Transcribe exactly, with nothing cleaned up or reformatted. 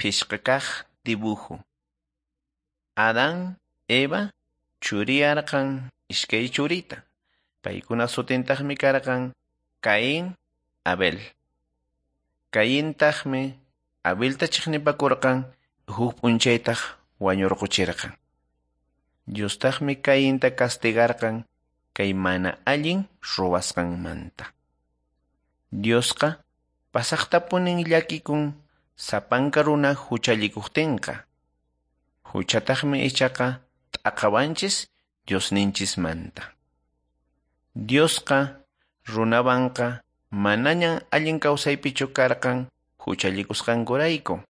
Phisqa kaq dibujo. Adán, Eva churiyarqan iskay churita. Paykuna sutintaqmi karqan Caín, Abel. Caíntaqmi Abelta chiqnipakurqan, huk p'unchaytaq wañurquchirqan. Diostaqmi Cainta castigarqan kay mana allin ruwasqanmanta. Diosqa pasaqtapunin llakikun sapanka runa huchallikuqtinqa. Huchataqmi ichaqa t'aqawanchis Diosninchismanta. Diosqa runawanqa manañan allin kawsaypichu karqan huchallikusqankurayku.